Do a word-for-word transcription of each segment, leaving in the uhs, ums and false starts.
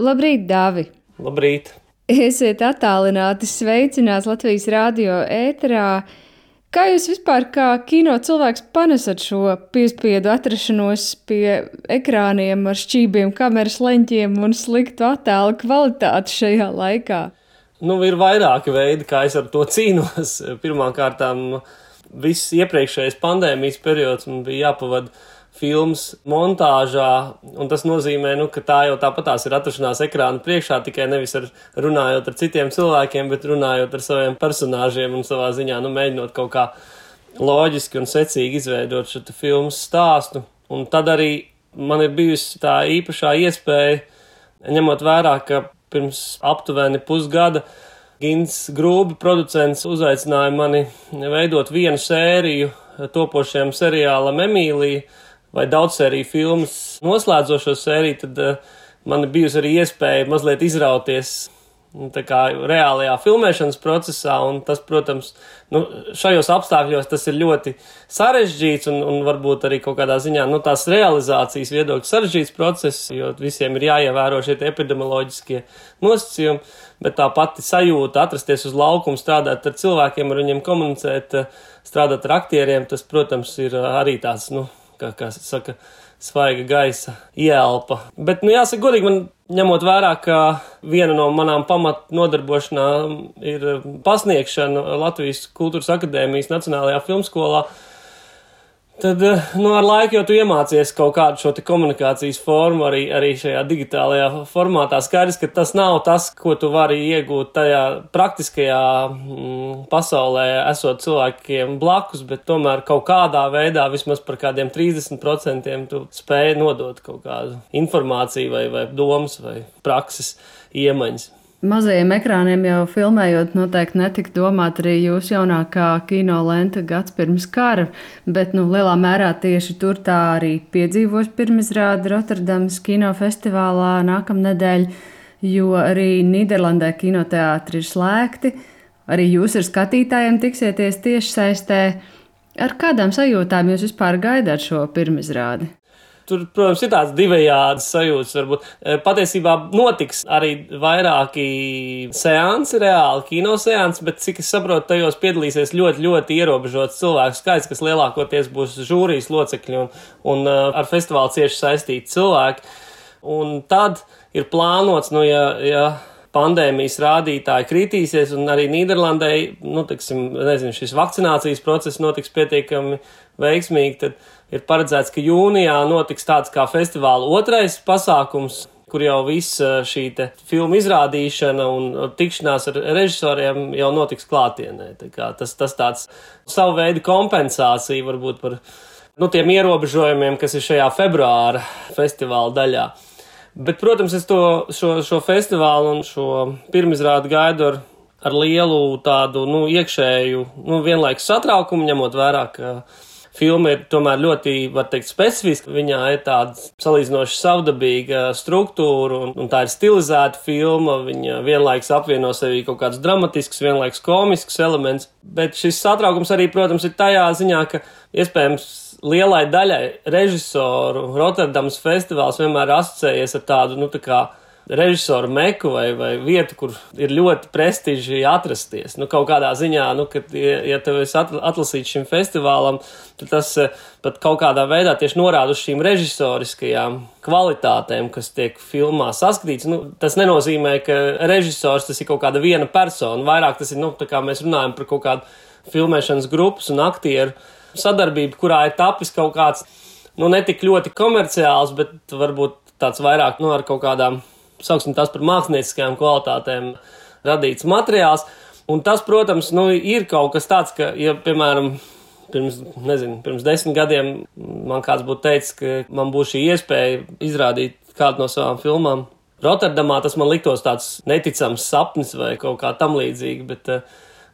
Labrīt, Dāvi! Labrīt! Esiet attālināti sveicināts Latvijas radio ēterā. Kā jūs vispār kā kino cilvēks panesat šo piespiedu atrašanos pie ekrāniem ar šķībiem, kameras leņķiem un sliktu attēlu kvalitāti šajā laikā? Nu, ir vairāki veidi, kā es ar to cīnos. Pirmkārtām, viss iepriekšējais pandēmijas periods man bija jāpavada filmas montāžā, un tas nozīmē, nu, ka tā jau tāpatās ir atrašanās ekrāna priekšā, tikai nevis ar, runājot ar citiem cilvēkiem, bet runājot ar saviem personāžiem un savā ziņā, nu, mēģinot kaut kā loģiski un secīgi izveidot šo filmas stāstu. Un tad arī man ir bijusi tā īpašā iespēja, ņemot vērā, ka pirms aptuveni pusgada Gins Grūbi, producents, uzaicināja mani veidot vienu sēriju topošajam seriālam Emīlija, vai daudz sēriju filmas noslēdzošo sēriju, tad uh, man ir bijusi arī iespēja mazliet izrauties tā kā reālajā filmēšanas procesā, un tas, protams, nu, šajos apstākļos tas ir ļoti sarežģīts un, un varbūt arī kaut kādā ziņā, nu, tās realizācijas viedokļa sarežģīts process, jo visiem ir jāievēro šie epidemioloģiskie nosacījumi, bet tā pati sajūta atrasties uz laukumu, strādāt ar cilvēkiem, ar viņiem komunicēt, strādāt ar aktieriem, tas, protams, ir arī tāds, nu, kā, kā saka, svaiga gaisa ielpa. Bet, nu, jāsaka godīgi, man ņemot vērā, ka viena no manām pamat nodarbošanām ir pasniegšana Latvijas Kultūras akadēmijas Nacionālajā filmskolā, tad, nu, ar laiku jau tu iemācies kaut kādu šo te komunikācijas formu arī, arī šajā digitālajā formātā. Skaidrs, ka tas nav tas, ko tu vari iegūt tajā praktiskajā mm, pasaulē, esot cilvēkiem blakus, bet tomēr kaut kādā veidā, vismaz par kādiem trīsdesmit procentiem, tu spēj nodot kaut kādu informāciju vai, vai domas vai prakses iemaņas. Mazajiem ekrāniem jau filmējot noteikti netika domāt arī jūsu jaunākā kino lenta Gads pirms kara, bet, nu, lielā mērā tieši tur tā arī piedzīvos pirmizrāde Rotterdamas kinofestivālā nākamnedēļ, jo arī Nīderlandē kinoteātri ir slēgti, arī jūs ar skatītājiem tiksieties tiešsaistē. Ar kādām sajūtām jūs vispār gaidāt šo pirmizrādi? Tur, protams, ir tāds divējādas sajūtas, varbūt. Patiesībā notiks arī vairāki seansi, reāli kinoseansi, bet, cik es saprotu, tajos piedalīsies ļoti, ļoti ierobežots cilvēku skaits, kas lielākoties būs žūrijas locekļi un, un ar festivālu cieši saistīti cilvēki. Un tad ir plānots, nu, ja, ja pandēmijas rādītāji kritīsies, un arī Nīderlandē, nu, teiksim, nezinu, šis vakcinācijas process notiks pietiekami veiksmīgi, tad ir paredzēts, ka jūnijā notiks tāds kā festivāla otrais pasākums, kur jau viss šī te filmu izrādīšana un tikšanās ar režisoriem jau notiks klātienē. Tā kā tas, tas tāds savu veidu kompensācija varbūt par, nu, tiem ierobežojumiem, kas ir šajā februāra festivāla daļā. Bet, protams, es to, šo, šo festivālu un šo pirmizrādi gaidu ar, ar lielu tādu, nu, iekšēju, nu, vienlaikus satraukumu, ņemot vērā, ka filma ir tomēr ļoti, var teikt, specifiska. Viņā ir tāda salīdzinoši savdabīga struktūra, un, un tā ir stilizēta filma. Viņa vienlaikus apvieno sevī kaut kādus dramatiskus, vienlaikus komiskus elements. Bet šis satraukums arī, protams, ir tajā ziņā, ka iespējams lielai daļai režisoru Rotterdamas festivāls vienmēr asociējies ar tādu, nu, tā kā režisoru meku vai, vai vietu, kur ir ļoti prestiži atrasties. Nu, kaut kādā ziņā, nu, kad, ja, ja tev esi atlasīts šim festivālam, tad tas pat kaut kādā veidā tieši norāda uz šīm režisoriskajām kvalitātēm, kas tiek filmā saskatīts. Nu, tas nenozīmē, ka režisors tas ir kaut kāda viena persona. Vairāk tas ir, nu, tā kā mēs runājam par kaut kādu filmēšanas grupas un aktieru sadarbību, kurā ir tapis kaut kāds, nu, netik ļoti komerciāls, bet varbūt tāds vairāk, nu, ar kaut kādām, sauksim tās par mākslinieckajām kvalitātēm radīts materiāls. Un tas, protams, nu, ir kaut kas tāds, ka, ja, piemēram, pirms, nezinu, pirms desmit gadiem man kāds būtu teicis, ka man būs šī iespēja izrādīt kādu no savām filmām Rotterdamā, tas man liktos tāds neticams sapnis vai kaut kā tam līdzīgi, bet uh,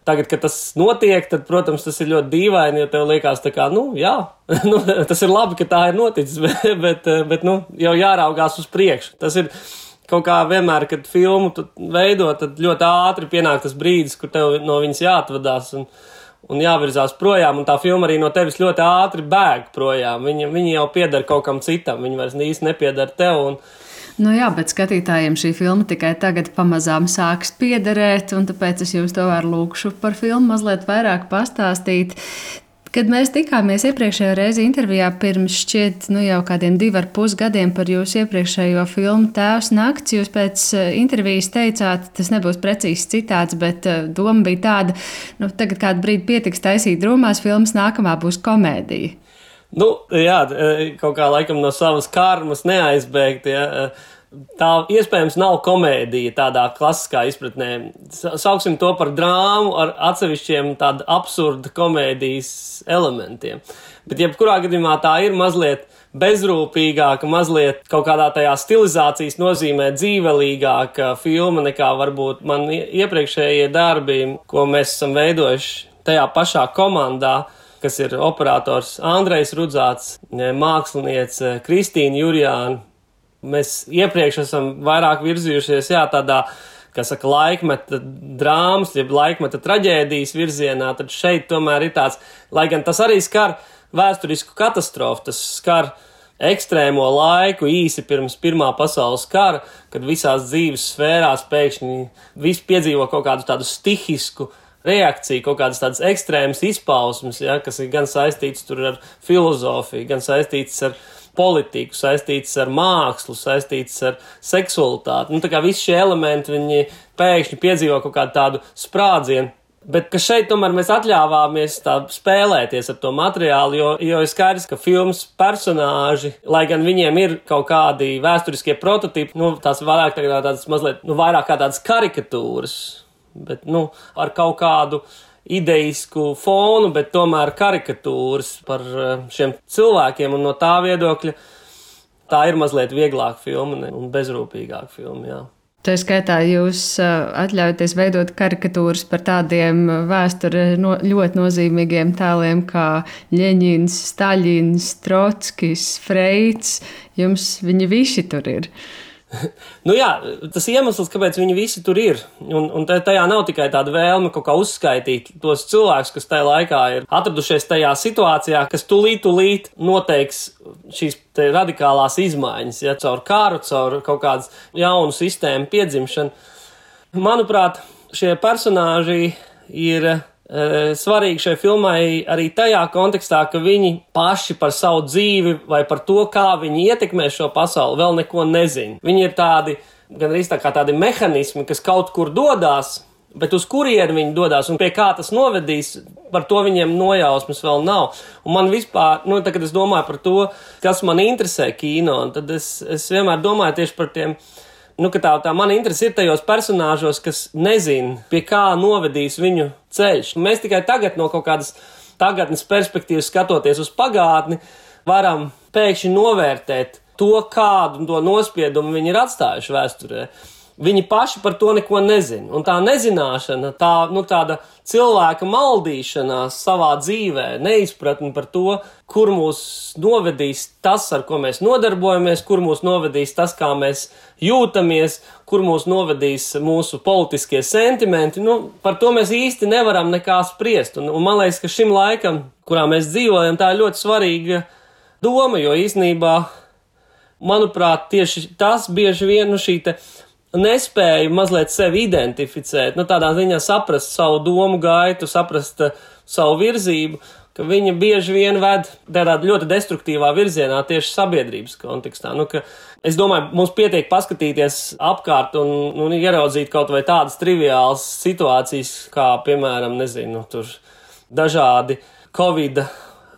tagad, kad tas notiek, tad, protams, tas ir ļoti dīvaini, jo tev liekas tā kā, nu, jā, nu, tas ir labi, ka tā ir noticis, bet, bet, bet, nu, jau jāraugās uz priekšu. Tas ir kaut kā vienmēr, kad filmu veido, tad ļoti ātri pienāk tas brīdis, kur tev no viņas jāatvadās un, un jāvirzās projām, un tā filma arī no tevis ļoti ātri bēg projām. Viņa, viņa jau pieder kaut kam citam, viņa vairs īsti nepieder tev. Un, Nu jā, bet skatītājiem šī filma tikai tagad pamazām sāks piederēt, un tāpēc es jums tomēr lūkšu par filmu mazliet vairāk pastāstīt. Kad mēs tikāmies iepriekšējā reizi intervijā pirms šķiet nu jau kādiem divi ar pus gadiem par jūsu iepriekšējo filmu Tēvs nakts, jūs pēc intervijas teicāt, tas nebūs precīzs citāts, bet doma bija tāda, nu tagad kādu brīdi pietiks taisīt drūmās filmas, nākamā būs komēdija. Nu, jā, kaut kā laikam no savas karmas neaizbēgt, ja. Tā iespējams nav komēdija tādā klasiskā izpratnē. Sauksim to par drāmu ar atsevišķiem tādu absurdu komēdijas elementiem. Bet jebkurā gadījumā tā ir mazliet bezrūpīgāka, mazliet kaut kādā tajā stilizācijas nozīmē dzīvelīgāka filma nekā varbūt man iepriekšējie darbi, ko mēs esam veidojuši tajā pašā komandā, kas ir operators Andrejs Rudzāts, māksliniece Kristīna Jurjāna. Mēs iepriekš esam vairāk virzījušies, jā, tādā, kā saka, laikmeta drāmas, jeb laikmeta traģēdijas virzienā, tad šeit tomēr ir tāds, lai gan tas arī skar vēsturisku katastrofu, tas skar ekstrēmo laiku īsi pirms Pirmā pasaules kara, kad visās dzīves sfērās pēkšņi viss piedzīvo kaut kādu tādu stihisku reakcija, kaut kādas tādas ekstrēmas izpausmes, ja, kas ir gan saistīts tur ar filozofiju, gan saistīts ar politiku, saistīts ar mākslu, saistīts ar seksualitāti. Nu, tā kā visi šie elementi, viņi pēkšņi piedzīvo kaut kādu tādu sprādzienu. Bet ka šeit tomēr mēs atļāvāmies tā spēlēties ar to materiālu, jo, jo ir skaidrs, ka filmas personāži, lai gan viņiem ir kaut kādi vēsturiskie prototipi, nu, tās vairāk tādas mazliet, nu, vairāk kā tādas karikatūras, bet, nu, ar kaut kādu ideisku fonu, bet tomēr karikatūras par šiem cilvēkiem, un no tā viedokļa tā ir mazliet vieglāka filma un bezrūpīgāka filma, jā. Tā skaitā jūs atļaujaties veidot karikatūras par tādiem vēsture no, ļoti nozīmīgiem tēliem kā Ļeņins, Staļins, Trotskis, Freits. Jums viņi visi tur ir. Nu jā, tas iemesls, kāpēc viņi visi tur ir, un, un tajā nav tikai tāda vēlme kaut kā uzskaitīt tos cilvēkus, kas tajā laikā ir atradušies tajā situācijā, kas tulīt, tulīt noteiks šīs radikālās izmaiņas, ja, caur kāru, caur kaut kādas jaunu sistēmu piedzimšanu. Manuprāt, šie personāži ir svarīgi šai filmai arī tajā kontekstā, ka viņi paši par savu dzīvi vai par to, kā viņi ietekmē šo pasauli, vēl neko nezina. Viņi ir tādi, gan arī tā kā tādi mehanismi, kas kaut kur dodās, bet uz kurieni viņi dodās un pie kā tas novedīs, par to viņiem nojausmas vēl nav. Un man vispār, nu, tā, kad es domāju par to, kas man interesē kino, tad es, es vienmēr domāju tieši par tiem, nu, ka tā, tā mana interese ir tajos personāžos, kas nezin, pie kā novedīs viņu ceļš. Mēs tikai tagad no kaut kādas tagadnes perspektīvas skatoties uz pagātni, varam pēkšņi novērtēt to, kādu to nospiedumu viņi ir atstājuši vēsturē. Viņi paši par to neko nezin. Un tā nezināšana, tā, nu, tāda cilvēka maldīšanās savā dzīvē, neizpratni par to, kur mūs novedīs tas, ar ko mēs nodarbojamies, kur mūs novedīs tas, kā mēs jūtamies, kur mūs novedīs mūsu politiskie sentimenti, nu, par to mēs īsti nevaram nekā spriest. Un, un man liekas, ka šim laikam, kurā mēs dzīvojam, tā ir ļoti svarīga doma, jo īstenībā, manuprāt, tieši tas bieži vien, nu, šī te nespēju mazliet sevi identificēt, nu tādā ziņā saprast savu domu gaitu, saprast uh, savu virzību, ka viņa bieži vien ved tādā ļoti destruktīvā virzienā tieši sabiedrības kontekstā. Nu, ka es domāju, mums pietiek paskatīties apkārt un, un ieraudzīt kaut vai tādas triviālas situācijas, kā, piemēram, nezinu, tur dažādi Covid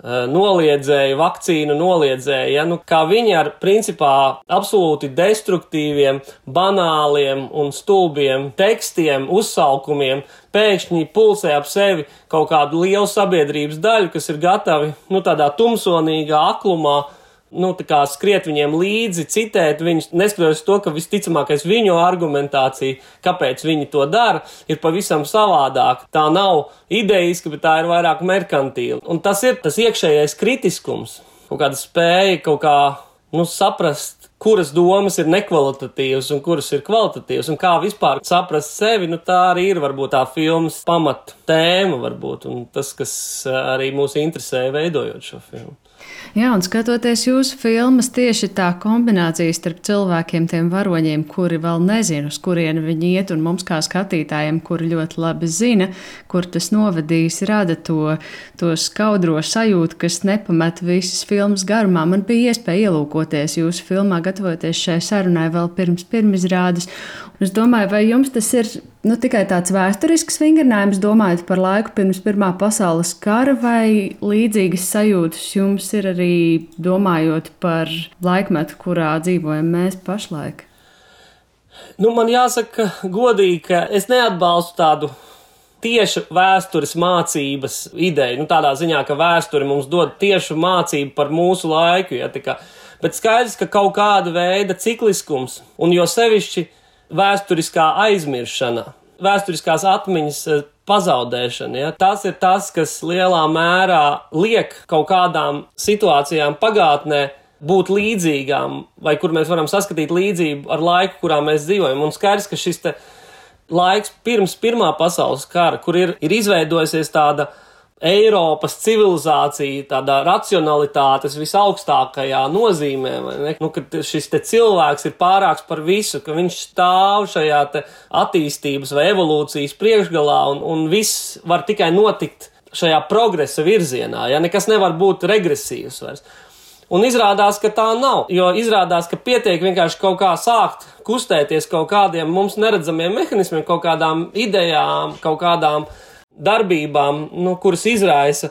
noliedzēji, vakcīnu noliedzēji, ja, nu, kā viņi ar principā absolūti destruktīviem, banāliem un stulbiem tekstiem, uzsaukumiem pēkšņi pulsē ap sevi kaut kādu lielu sabiedrības daļu, kas ir gatavi, nu, tādā tumsonīgā aklumā, nu, tā kā skriet viņiem līdzi, citēt viņus, neskatoties to, ka visticamākais viņu argumentācija, kāpēc viņi to dara, ir pavisam savādāk. Tā nav ideiska, bet tā ir vairāk merkantīla. Un tas ir tas iekšējais kritiskums, kaut kāda spēja kaut kā, nu, saprast, kuras domas ir nekvalitatīvas un kuras ir kvalitatīvas, un kā vispār saprast sevi, nu, tā arī ir varbūt tā filmas pamat tēma varbūt, un tas, kas arī mūs interesēja veidojot šo filmu. Jā, un skatoties jūsu filmas, tieši tā kombinācija starp cilvēkiem, tiem varoņiem, kuri vēl nezina, uz kurieni viņi iet, un mums kā skatītājiem, kuri ļoti labi zina, kur tas novedīs, rada to, to skaudro sajūtu, kas nepamet visas filmas garumā. Man bija iespēja ielūkoties jūsu filmā, gatavoties šai sarunai vēl pirms pirmizrādes. Es domāju, vai jums tas ir nu, tikai tāds vēsturisks vingrinājums, domājot par laiku pirms Pirmā pasaules kara, vai līdzīgas sajūtas jums ir arī domājot par laikmetu, kurā dzīvojam mēs pašlaik? Nu, man jāsaka godīgi, ka es neatbalstu tādu tiešu vēstures mācības ideju. Nu, tādā ziņā, ka vēsture mums dod tiešu mācību par mūsu laiku. Ja, kā, bet skaidrs, ka kaut kāda veida cikliskums, un jo sevišķi vēsturiskā aizmiršana, vēsturiskās atmiņas pazaudēšana. Ja? Tas ir tas, kas lielā mērā liek kaut kādām situācijām pagātnē būt līdzīgām, vai kur mēs varam saskatīt līdzību ar laiku, kurā mēs dzīvojam. Un skaidrs, ka šis te laiks pirms Pirmā pasaules kara, kur ir, ir izveidojusies tāda Eiropas civilizācija, tādā racionalitātes visaugstākajā nozīmē, vai ne? Nu, ka šis te cilvēks ir pārāks par visu, ka viņš stāv šajā te attīstības vai evolūcijas priekšgalā, un, un viss var tikai notikt šajā progresa virzienā, ja nekas nevar būt regresīvs vairs. Un izrādās, ka tā nav, jo izrādās, ka pietiek vienkārši kaut kā sākt kustēties kaut kādiem mums neredzamiem mehānismiem, kaut kādām idejām, kaut kādām darbībām, nu, kuras izraisa,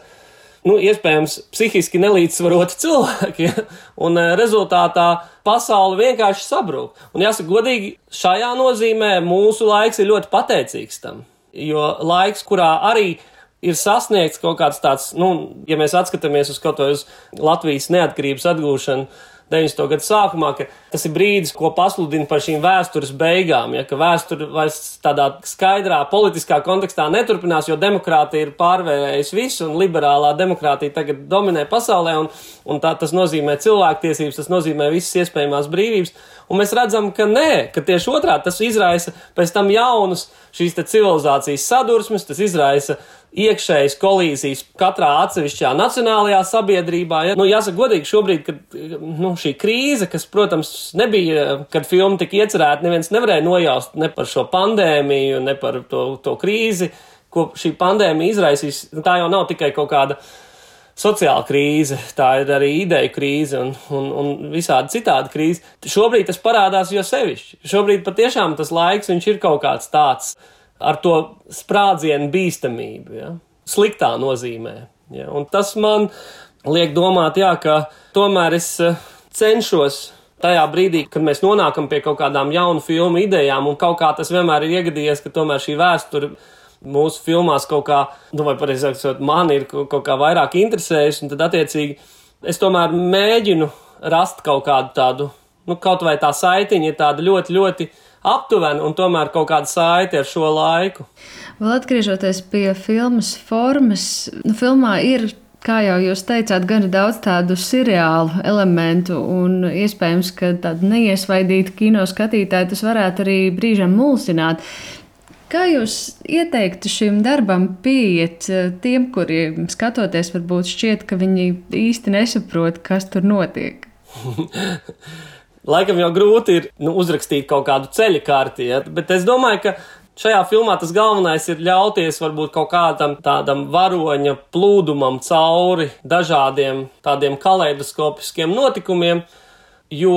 nu, iespējams, psihiski nelīdzsvaroti cilvēki, ja? Un rezultātā pasaule vienkārši sabrūk. Un jāsaka godīgi, šajā nozīmē mūsu laiks ir ļoti pateicīgs tam, jo laiks, kurā arī ir sasniegts kaut kāds tāds, nu, ja mēs atskatāmies uz kaut vai uz Latvijas neatkarības atgūšanu deviņdesmito gadu sākumā, ka tas ir brīdis, ko pasludina par šīm vēstures beigām, ja, ka vēsture vairs tādā skaidrā politiskā kontekstā neturpinās, jo demokrātija ir pārvērējusi visu, un liberālā demokrātija tagad dominē pasaulē, un, un tā, tas nozīmē cilvēktiesības, tas nozīmē visas iespējamās brīvības, un mēs redzam, ka nē, ka tieši otrādi tas izraisa pēc tam jaunus šīs te civilizācijas sadursmes, tas izraisa iekšējas kolīzijas katrā atsevišķā nacionālajā sabiedrībā. Ja? Nu, jāsaka godīgi, šobrīd, kad nu, šī krīze, kas, protams, nebija, kad filma tika iecerēta, neviens nevarēja nojaust ne par šo pandēmiju, ne par to, to krīzi, ko šī pandēmija izraisīs. Tā jau nav tikai kaut kāda sociāla krīze, tā ir arī ideju krīze un, un, un visādi citādi krīze. Šobrīd tas parādās jo sevišķi. Šobrīd patiešām tas laiks, viņš ir kaut kāds tāds ar to sprādzienu bīstamību, ja? Sliktā nozīmē. Ja? Un tas man liek domāt, jā, ka tomēr es cenšos tajā brīdī, kad mēs nonākam pie kaut kādām jaunu filmu idejām, un kaut kā tas vienmēr ir iegadījies, ka tomēr šī vēsture mūsu filmās kaut kā, nu vai pareizāk sakot, man ir kaut kā vairāk interesējusi, un tad attiecīgi es tomēr mēģinu rast kaut kādu tādu, nu kaut vai tā saitiņa ir tāda ļoti, ļoti aptuveni un tomēr kaut kāda saite ar šo laiku. Vēl atgriežoties pie filmas formas, nu filmā ir, kā jau jūs teicāt, gan daudz tādu seriālu elementu un iespējams, ka tādu neiesvaidītu kino skatītāju tas varētu arī brīžam mulsināt. Kā jūs ieteiktu šim darbam pieiet tiem, kuriem skatoties varbūt šķiet, ka viņi īsti nesaprot, kas tur notiek? Laikam jau grūti ir nu, uzrakstīt kaut kādu ceļa karti, ja? Bet es domāju, ka šajā filmā tas galvenais ir ļauties varbūt kaut kādam tādam varoņa plūdumam cauri dažādiem tādiem kaleidoskopiskiem notikumiem, jo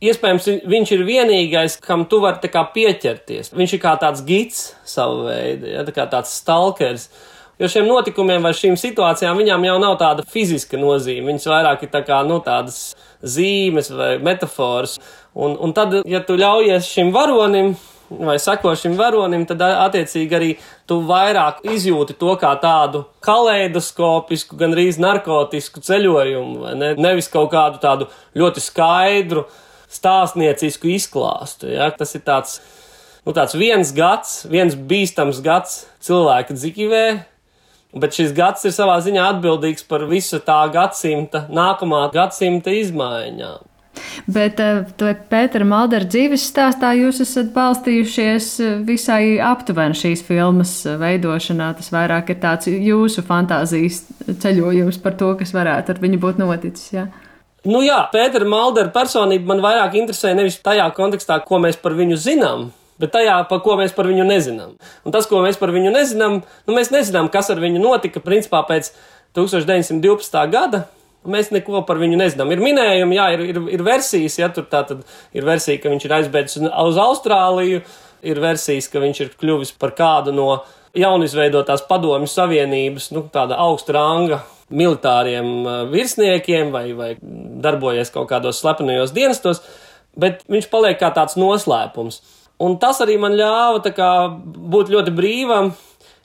iespējams viņš ir vienīgais, kam tu vari tā kā pieķerties. Viņš ir kā tāds gids savu veidu, ja? Tā kā tāds stalkers. Jo šiem notikumiem vai šīm situācijām viņām jau nav tāda fiziska nozīme. Viņas vairāk ir tā kā, nu, tādas zīmes vai metafors. Un, un tad, ja tu ļaujies šim varonim vai seko šim varonim, tad attiecīgi arī tu vairāk izjūti to kā tādu kaleidoskopisku, gandrīz narkotisku ceļojumu, vai ne? Nevis kaut kādu tādu ļoti skaidru stāstniecisku izklāstu. Ja? Tas ir tāds, nu, tāds viens gads, viens bīstams gads cilvēka dzīvē, bet šis gads ir savā ziņā atbildīgs par visu tā gadsimta, nākamā gadsimta izmaiņām. Bet to Pētera Maldera dzīves stāstā jūs esat balstījušies visai aptuveni šīs filmas veidošanā. Tas vairāk ir tāds jūsu fantāzijas ceļojums par to, kas varētu ar viņu būt noticis, jā? Nu jā, Pētera Maldera personība man vairāk interesē nevis tajā kontekstā, ko mēs par viņu zinām, bet tajā, par ko mēs par viņu nezinām. Un tas, ko mēs par viņu nezinām, nu mēs nezinām, kas ar viņu notika, principā pēc tūkstoš deviņsimt divpadsmitā gada. Mēs neko par viņu nezinām. Ir minējumi, jā, ir, ir, ir versijas, ja tur tā tad ir versija, ka viņš ir aizbēdzis uz Austrāliju, ir versijas, ka viņš ir kļuvis par kādu no jaunizveidotās Padomju Savienības, nu, tāda augsta ranga militāriem virsniekiem vai, vai darbojies kaut kādos slepenajos dienestos, bet viņš paliek kā tāds noslēpums. Un tas arī man ļāva tā kā būt ļoti brīvam,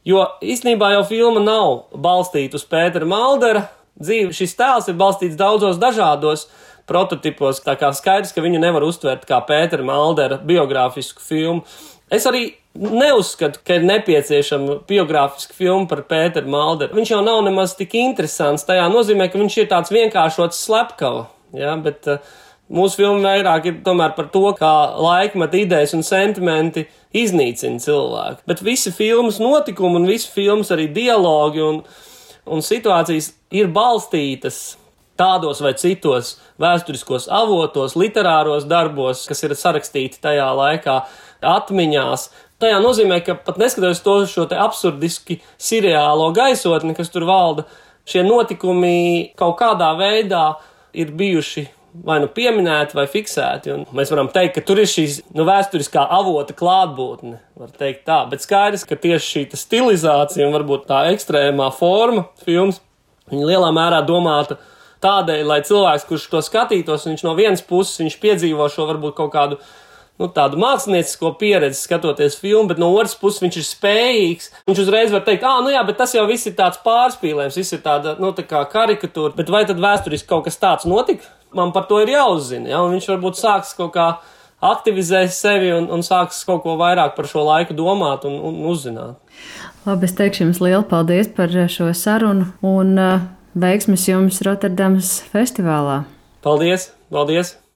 jo īstenībā jau filma nav balstīta uz Pētera Maldera dzīvi. Šis tēls ir balstīts daudzos dažādos prototipos, tā kā skaidrs, ka viņu nevar uztvert kā Pētera Maldera biogrāfisku filmu. Es arī neuzskatu, ka ir nepieciešama biogrāfiska filma par Pēteru Malderu. Viņš jau nav nemaz tik interesants tajā nozīmē, ka viņš ir tāds vienkāršots slepkava, ja, bet uh, mūsu filma vairāk ir tomēr par to, kā laikmeta idejas un sentimenti iznīcina cilvēku. Bet visi filmas notikumi un visi filmas arī dialogi un un situācijas ir balstītas tādos vai citos vēsturiskos avotos, literāros darbos, kas ir sarakstīti tajā laikā, atmiņās. Tajā nozīmē, ka pat neskatoties to šo te absurdiski seriālo gaisotni, kas tur valda, šie notikumi kaut kādā veidā ir bijuši vai nu pieminēti vai fiksēti. Un mēs varam teikt, ka tur ir šīs nu, vēsturiskā avota klātbūtne, var teikt tā. Bet skaidrs, ka tieši šī stilizācija un varbūt tā ekstrēmā forma filmas, viņa lielā mērā domāta tādēļ, lai cilvēks, kurš to skatītos, viņš no vienas puses viņš piedzīvo šo varbūt kaut kādu nu, tādu māksliniecisko pieredzi skatoties filmu, bet no otras puses viņš ir spējīgs. Viņš uzreiz var teikt, ā, nu jā, bet tas jau viss ir tāds pārspīlējums, viss ir tāda, nu, tā kā karikatūra. Bet vai tad vēsturiski kaut kas tāds notika? Man par to ir jāuzzina, ja? Un viņš varbūt sāks kaut kā aktivizēt sevi un, un sāks kaut ko vairāk par šo laiku domāt un, un uzzināt. Labi, es teikšu jums lielu paldies par šo sarunu un uh, veiksmes jums Rotterdamas festivālā. Paldies, paldies!